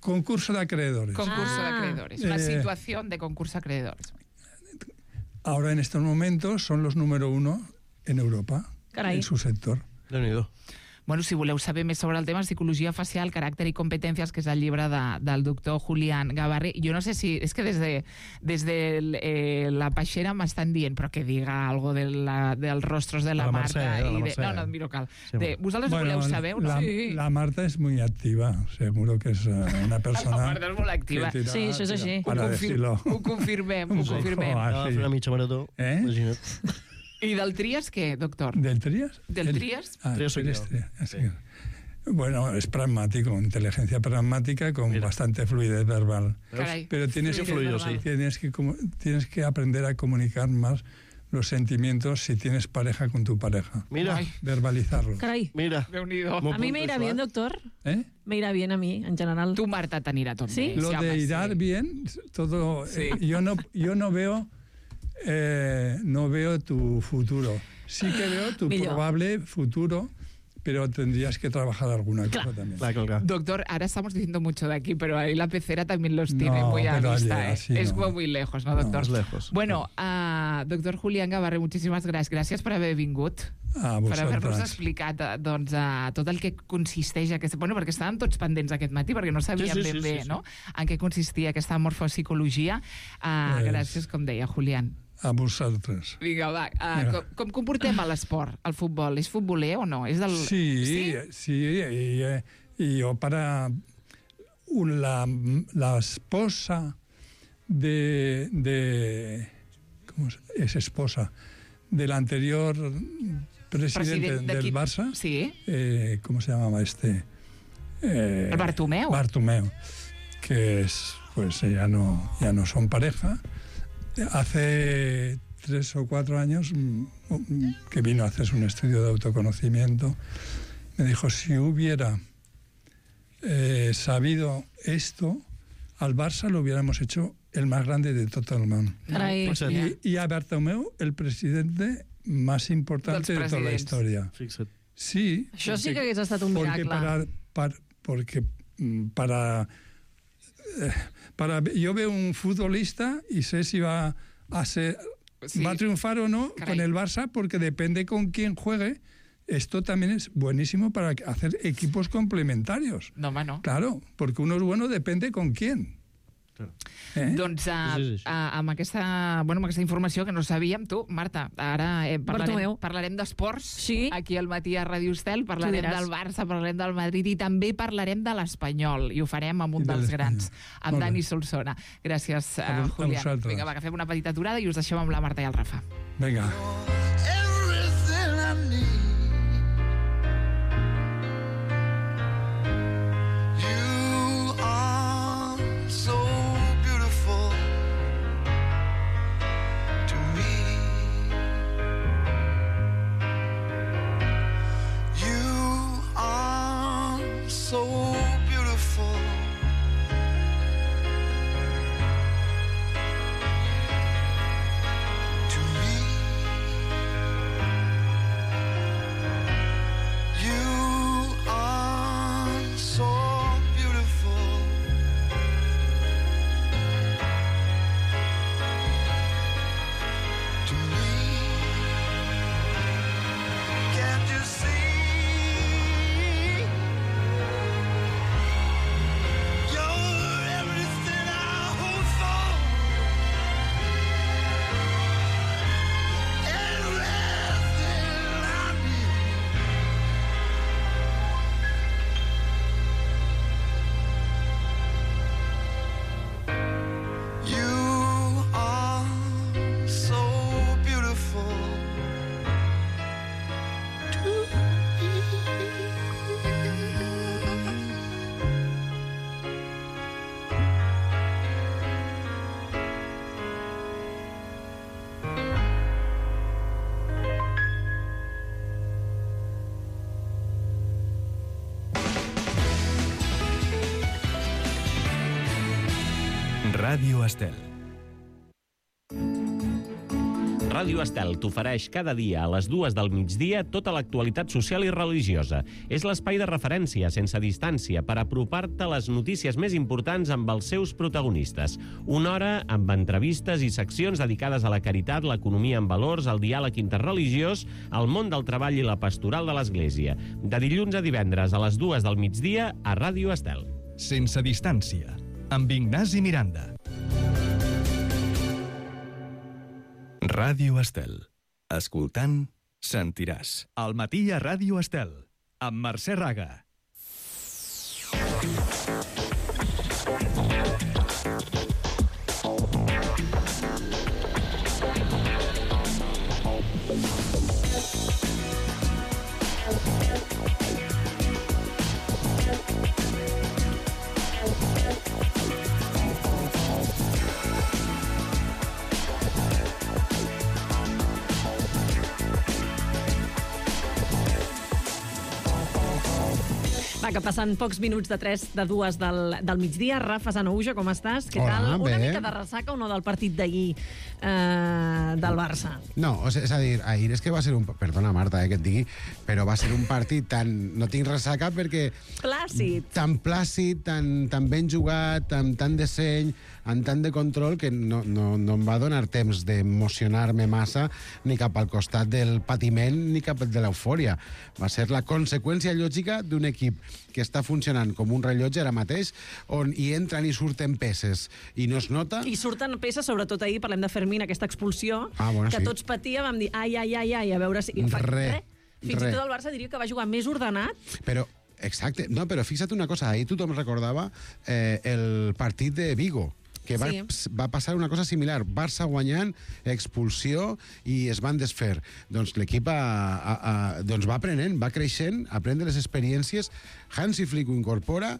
concurso de acreedores. Concurso de acreedores. Una situación de concurso de acreedores. Ahora, en estos momentos, son los número 1 en Europa, en su sector. Déu-n'hi-do. Bueno, si voleu saber més sobre el tema, psicologia facial, caràcter i competències, que és el llibre del doctor Julián Gabarre, jo no sé si... És que des de la Peixera m'estan dient, però que diga algo dels rostros de la Marta. No, miro cal. Vosaltres voleu saber o no? La Marta és molt activa, seguro que és una persona... La Marta és molt activa. Sí, això és així. Ho confirmem. Una mitja marató, imagina't. ¿Y del Trías qué, doctor? ¿Del Trías? ¿Del Trías? Sí. Bueno, es pragmático, inteligencia pragmática con bastante fluidez verbal. Caray. Pero tienes que aprender a comunicar más los sentimientos si tienes pareja con tu pareja. Mira. Verbalizarlos. Caray. Mira. A mí me irá bien, doctor. Me irá bien a mí, en general. Tu, Marta, t'anirà tot bé. Lo de ir bien, todo... Yo no veo... no veo tu futuro. Sí que veo tu probable futuro, pero tendrías que trabajar alguna cosa también. Claro. Doctor, ahora estamos diciendo mucho de aquí, pero ahí la pecera también los tiene muy a vista. Es muy lejos, ¿no, doctor? No, lejos. Bueno, doctor Julián Gabarre, muchísimas gracias. Gràcies per haver vingut. Per haver-nos explicat tot el que consisteix aquesta... Bueno, perquè estàvem tots pendents aquest matí, perquè no sabíem ben bé no? En què consistia aquesta morfopsicologia. Gràcies, com deia, Julián. A vosaltres. Vinga, va. Com comportem a l'esport, al futbol? És futboler o no? És del... Sí. Y yo para la esposa ¿cómo es esposa? Del anterior presidente del Barça. Sí. ¿Cómo se llamaba este? El Bartomeu. Bartomeu, que es, pues ya no son pareja. Hace 3 o 4 años que vino a hacerse un estudio de autoconocimiento, me dijo, si hubiera sabido esto, al Barça lo hubiéramos hecho el más grande de todo el mundo. Y a Bartomeu, el presidente más importante de toda la historia. Sí. Això sí que hagués estat un miracle. Porque yo veo un futbolista y sé si va a triunfar o no con el Barça, porque depende con quién juegue. Esto también es buenísimo para hacer equipos complementarios. No, home, no. Claro, porque uno es bueno, depende con quién. Doncs amb aquesta informació que no sabíem, tu, Marta, ara parlarem d'esports aquí al matí a Ràdio Estel, parlarem del Barça, parlarem del Madrid i també parlarem de l'Espanyol, i ho farem amb un dels grans, amb Dani Solsona. Gràcies, Julián. Vinga, va, que fem una petita aturada i us deixem amb la Marta i el Rafa. Vinga. Ràdio Estel. Ràdio Estel t'ofereix cada dia a les 2 del migdia tota l'actualitat social i religiosa. És l'espai de referència sense distància per apropar-te les notícies més importants amb els seus protagonistes. Una hora amb entrevistes i seccions dedicades a la caritat, l'economia en valors, el diàleg interreligiós, el món del treball i la pastoral de l'Església. De dilluns a divendres a les 2 del migdia a Ràdio Estel. Sense distància, amb Ignasi Miranda. Ràdio Estel. Escoltant, sentiràs. Al matí a Ràdio Estel, amb Mercè Raga. Va, que passen pocs minuts de 2 del migdia. Rafa Sanouja, com estàs? Què Hola, tal? Una bé. mica de ressaca o no del partit d'ahir del Barça? No, és a dir, ahir és que va ser un... Perdona, Marta, que et digui, però va ser un partit tan... No tinc ressaca perquè... Plàcid. Tan plàcid, tan ben jugat, amb tant de seny, amb tant de control, que no em va donar temps d'emocionar-me massa ni cap al costat del patiment ni cap de l'eufòria. Va ser la conseqüència lògica d'un equip que està funcionant com un rellotge ara mateix, on hi entren i surten peces i no es nota. I surten peces, sobretot ahir, parlem de Fermín, aquesta expulsió, Bueno, que sí. tots patia, vam dir, ai, a veure si... Fins i tot el Barça diria que va jugar més ordenat. Però, exacte, no, però fixa't una cosa, ahir tothom recordava el partit de Vigo, que va passar una cosa similar. Barça guanyant, expulsió, i es van desfer. Doncs l'equip doncs va aprenent, va creixent, aprendre les experiències. Hansi Flick ho incorpora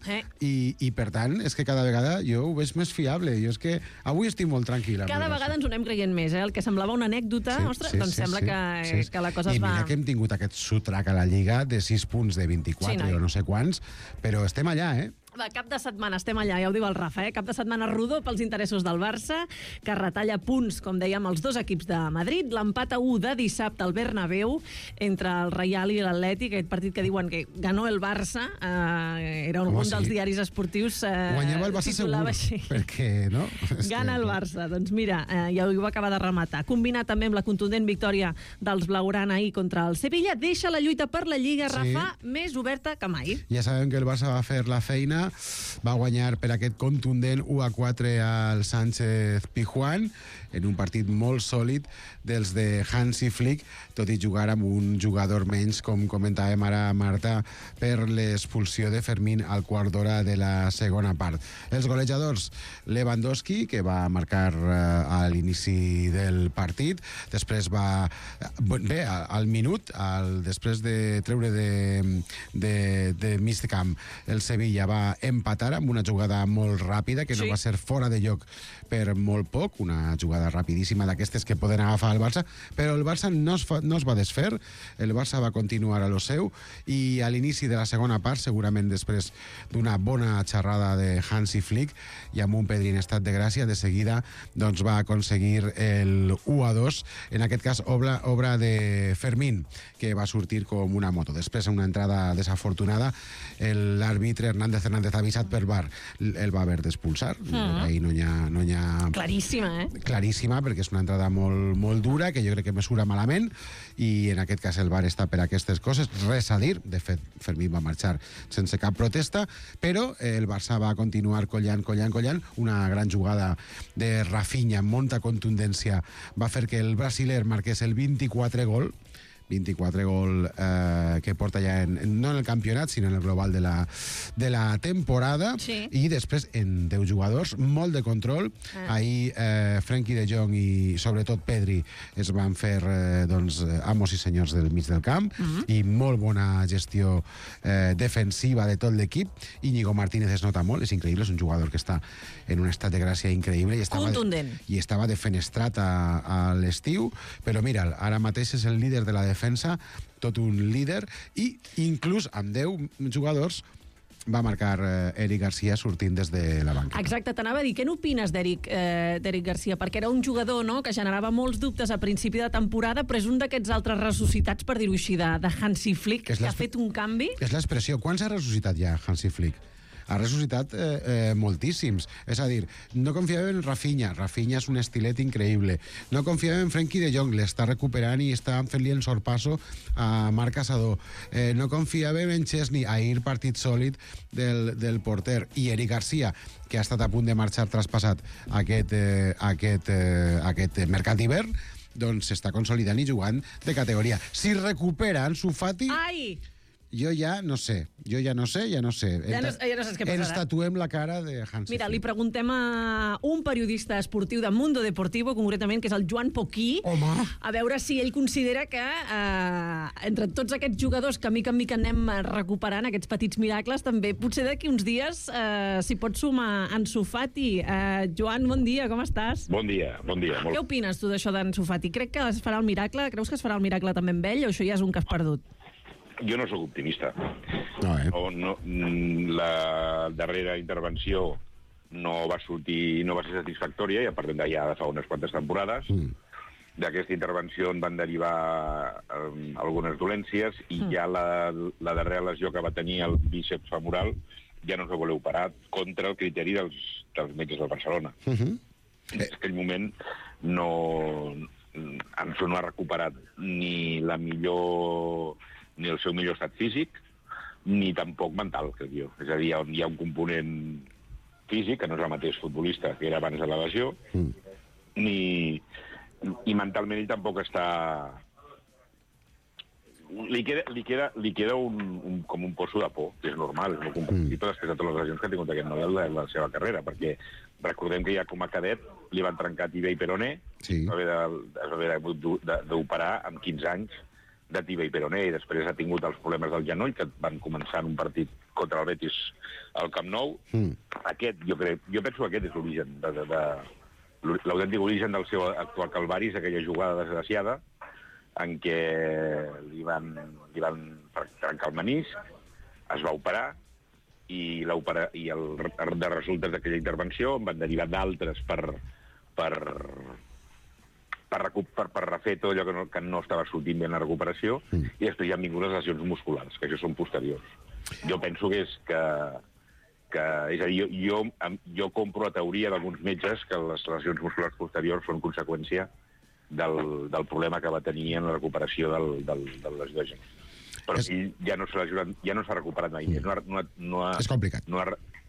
i per tant, és que cada vegada jo ho veig més fiable. Jo és que avui estic molt tranquil·la. Cada vegada ens ho anem creient més, El que semblava una anècdota, ostres, doncs sembla que la cosa es va... I mira que hem tingut aquest sotrac a la Lliga de 6 punts de 24 o no sé quants, però estem allà, Va, cap de setmana estem allà, ja ho diu el Rafa, Cap de setmana rodó pels interessos del Barça, que retalla punts, com dèiem, els dos equips de Madrid. L'empat a 1 de dissabte al Bernabéu entre el Reial i l'Atlètic, aquest partit que diuen que ganó el Barça, era un dels diaris esportius guanyava el Barça segur, així. perquè, no? Gana el Barça. Doncs mira, ja ho va acabar de rematar. Combinat també amb la contundent victòria dels blaugrana ahir contra el Sevilla, deixa la lluita per la Lliga, Rafa, més oberta que mai. Ja sabem que el Barça va fer la feina, va guanyar per aquest contundent 1-4 al Sánchez Pizjuán, en un partit molt sòlid dels de Hansi Flick, tot i jugar amb un jugador menys, com comentàvem ara, Marta, per l'expulsió de Fermín al quart d'hora de la segona part. Els golejadors, Lewandowski, que va marcar a l'inici del partit, després va... Bé, al minut, després de treure de mig de camp, el Sevilla va empatar amb una jugada molt ràpida, que no va ser fora de lloc per molt poc, una jugada rapidíssima d'aquestes que poden agafar el Barça, però el Barça no es va desfer, el Barça va continuar a lo seu, i a l'inici de la segona part, segurament després d'una bona xerrada de Hansi Flick i amb un Pedri en estat de gràcia, de seguida doncs va aconseguir el 1-2, en aquest cas obra de Fermín, que va sortir com una moto. Després, una entrada desafortunada, l'àrbitre Hernández avisat per VAR el va haver d'expulsar. Ahí no hi ha... Claríssima, Claríssima, perquè és una entrada molt, molt dura, que jo crec que mesura malament, i en aquest cas el VAR està per aquestes coses. Res a dir, de fet, Fermín va marxar sense cap protesta, però el Barça va continuar collant. Una gran jugada de Rafinha, amb molta contundència, va fer que el brasiler marqués el 24 gol que porta ja no en el campionat, sinó en el global de la temporada, i després en 10 jugadors, molt de control. Ahir Frenkie de Jong i sobretot Pedri es van fer amos i senyors del mig del camp, i molt bona gestió defensiva de tot l'equip. Íñigo Martínez es nota molt, és increïble, és un jugador que està en un estat de gràcia increïble i estava defenestrat a l'estiu, però mira, ara mateix és el líder de la defensa, tot un líder, i inclús amb 10 jugadors va marcar Eric Garcia sortint des de la banca. Exacte, t'anava a dir, què n'opines d'Eric Garcia? Perquè era un jugador, no?, que generava molts dubtes a principi de temporada, però és un d'aquests altres ressuscitats, per dir-ho així, de Hansi Flick, que ha fet un canvi. És l'expressió. Quants ha ressuscitat ja Hansi Flick? Ha ressuscitat moltíssims. És a dir, no confiàvem en Rafinha. Rafinha és un estilet increïble. No confiàvem en Frenkie de Jong. L'està recuperant i està fent-li el sorpasso a Marc Caçador. No confiàvem en Chesney. Ahir partit sòlid del porter. I Eric Garcia, que ha estat a punt de marxar traspassat aquest mercat d'hivern, doncs s'està consolidant i jugant de categoria. Si recupera Ansu Fati... Ai! Jo ja no sé. Ja no saps què passarà. Ens tatuem la cara de Hansi. Mira, li preguntem a un periodista esportiu de Mundo Deportivo, concretament, que és el Joan Poquí, a veure si ell considera que entre tots aquests jugadors que mica en mica anem recuperant, aquests petits miracles, també potser d'aquí uns dies s'hi pot sumar Ansu Fati. Joan, bon dia, com estàs? Bon dia. Què opines tu d'això d'Ansu Fati? Crec que es farà el miracle? Creus que es farà el miracle també amb ell o això ja és un cas perdut? Jo no sóc optimista. La darrera intervenció no va ser satisfactòria i a partir d'allà de fa unes quantes temporades. D'aquesta intervenció en van derivar algunes dolències i ja la darrera lesió que va tenir el bíceps femoral ja no s'ho voleu parar contra el criteri dels metges del Barcelona. En aquell moment Ansu no ha recuperat ni el seu millor estat físic, ni tampoc mental, crec jo. És a dir, hi ha un component físic, que no és el mateix futbolista que era abans de la lesió, i mentalment ell tampoc està... Li queda com un poço de por, que és normal, és molt comprensible després de totes les lesions que ha tingut aquest model de la seva carrera, perquè recordem que ja com a cadet li van trencar tibia i peroné, es va haver d'operar amb 15 anys de tibia i peroné, i després ha tingut els problemes del genoll, que van començar en un partit contra el Betis al Camp Nou. Jo penso que aquest és l'origen, l'autèntic origen del seu actual calvari, és aquella jugada desgraciada en què li van trencar el menisc, es va operar, i de resultes d'aquella intervenció en van derivar d'altres per refer tot allò que no estava sortint bé en la recuperació, i després ja han vingut les lesions musculars, que això són posteriors. Jo penso que és a dir, jo compro la teoria d'alguns metges que les lesions musculars posteriors són conseqüència del problema que va tenir en la recuperació de les lesions. Però ja no s'ha recuperat mai més. És complicat.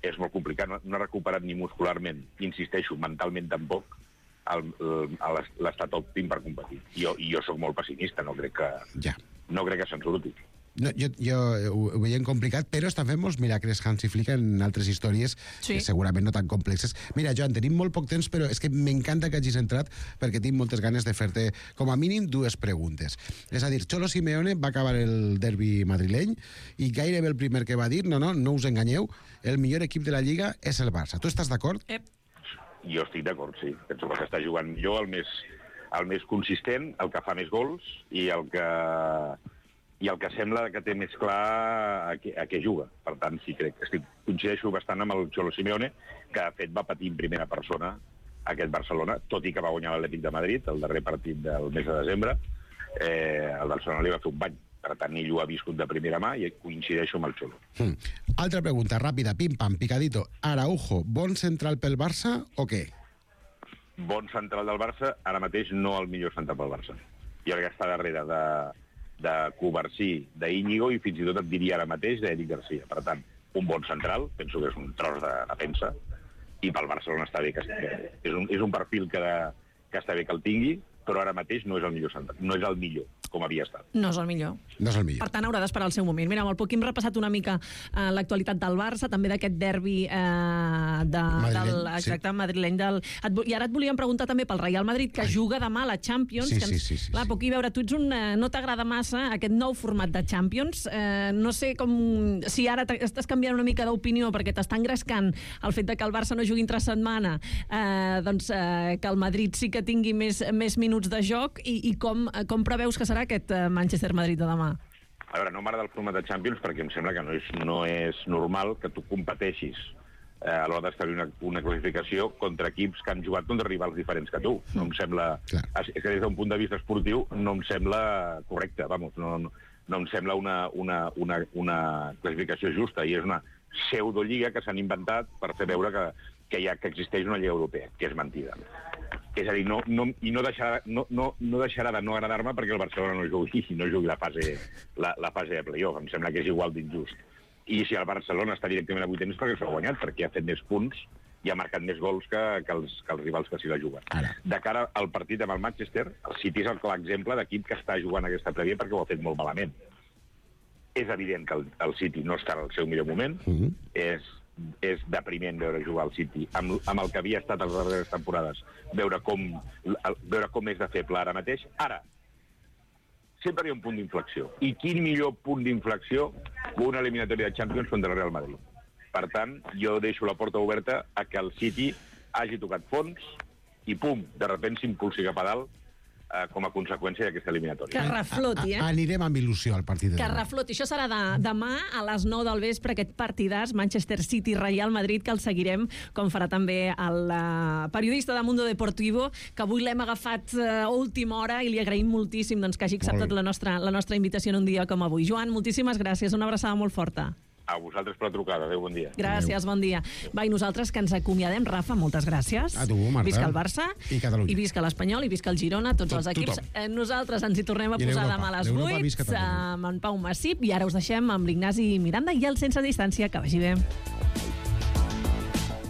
És molt complicat. No ha recuperat ni muscularment, insisteixo, mentalment tampoc, l'estat òptim per competir. Jo sóc molt pessimista, no crec que se'n surti. Jo ho veiem complicat, però estan fent molts miracles Hansi Flick en altres històries, segurament no tan complexes. Mira, Joan, tenim molt poc temps, però és que m'encanta que hagis entrat perquè tinc moltes ganes de fer-te, com a mínim, 2 preguntes. És a dir, Cholo Simeone va acabar el derbi madrileny i gairebé el primer que va dir, no us enganyeu, el millor equip de la Lliga és el Barça. Tu estàs d'acord? Jo estic d'acord, sí. Penso que s'està jugant millor, el més consistent, el que fa més gols i el que sembla que té més clar a què juga. Per tant, sí, coincideixo bastant amb el Cholo Simeone, que de fet va patir en primera persona aquest Barcelona, tot i que va guanyar l'Atlètic de Madrid, el darrer partit del mes de desembre. El Barcelona li va fer un bany. Per tant, ell ho ha viscut de primera mà i coincideixo amb el Cholo. Altra pregunta, ràpida, pim-pam, picadito. Araujo, bon central pel Barça o què? Bon central del Barça, ara mateix no el millor central pel Barça. Jo crec que està darrere de Covarsí, d'Íñigo i fins i tot et diria ara mateix d'Eric Garcia. Per tant, un bon central, penso que és un tros de defensa, i pel Barcelona està bé, és un perfil que està bé que el tingui, però ara mateix no és el millor central, no és el millor, com havia estat. No és el millor. Per tant, haurà d'esperar el seu moment. Mira, amb el Poquí hem repassat una mica l'actualitat del Barça, també d'aquest derbi madrileny. I ara et volíem preguntar també pel Real Madrid, que juga demà a la Champions. Sí. Clar, Poquí, veure, tu ets no t'agrada massa aquest nou format de Champions. No sé si ara estàs canviant una mica d'opinió perquè t'està engrescant el fet que el Barça no jugui entre setmana, que el Madrid sí que tingui més minuts de joc, i com preveus que serà aquest Manchester Madrid de demà? A veure, no m'agrada el format de Champions perquè em sembla que no és normal que tu competeixis a l'hora d'establir una classificació contra equips que han jugat contra rivals diferents que tu. No em sembla... És que des d'un punt de vista esportiu no em sembla correcte, vamos, no em sembla una classificació justa, i és una pseudolliga que s'han inventat per fer veure que existeix una lliga europea, que és mentida. És a dir, no deixarà de no agradar-me perquè el Barcelona no jugui la fase de playoff. Em sembla que és igual d'injust. I si el Barcelona està directament a vuitens perquè s'ha guanyat, perquè ha fet més punts i ha marcat més gols que els rivals que s'hi la juguen. De cara al partit amb el Manchester, el City és el clar exemple d'equip que està jugant aquesta prèvia perquè ho ha fet molt malament. És evident que el City no està en el seu millor moment, és depriment veure jugar al City amb el que havia estat les darreres temporades, veure com és de feble ara mateix. Ara, sempre hi ha un punt d'inflexió. I quin millor punt d'inflexió que una eliminatòria de Champions contra el Real Madrid. Per tant, jo deixo la porta oberta a que el City hagi tocat fons i, pum, de sobte s'impulsi cap a dalt com a conseqüència d'aquesta eliminatòria. Que refloti, Anirem amb il·lusió al partit de demà. Que refloti. Això serà demà a les 9 del vespre, aquest partidàs Manchester City-Real Madrid, que el seguirem, com farà també el periodista de Mundo Deportivo, que avui l'hem agafat a última hora i li agraïm moltíssim que hagi acceptat la nostra invitació en un dia com avui. Joan, moltíssimes gràcies. Una abraçada molt forta. A vosaltres per la trucada. Adéu, bon dia. Gràcies, bon dia. Va, i nosaltres que ens acomiadem. Rafa, moltes gràcies. A tu, Marta. Visca el Barça. I Catalunya. I visca l'Espanyol, i visca el Girona, tots els equips. Nosaltres ens hi tornem a posar demà a les 8 amb en Pau Massip, i ara us deixem amb l'Ignasi Miranda i el Sense Distància. Que vagi bé.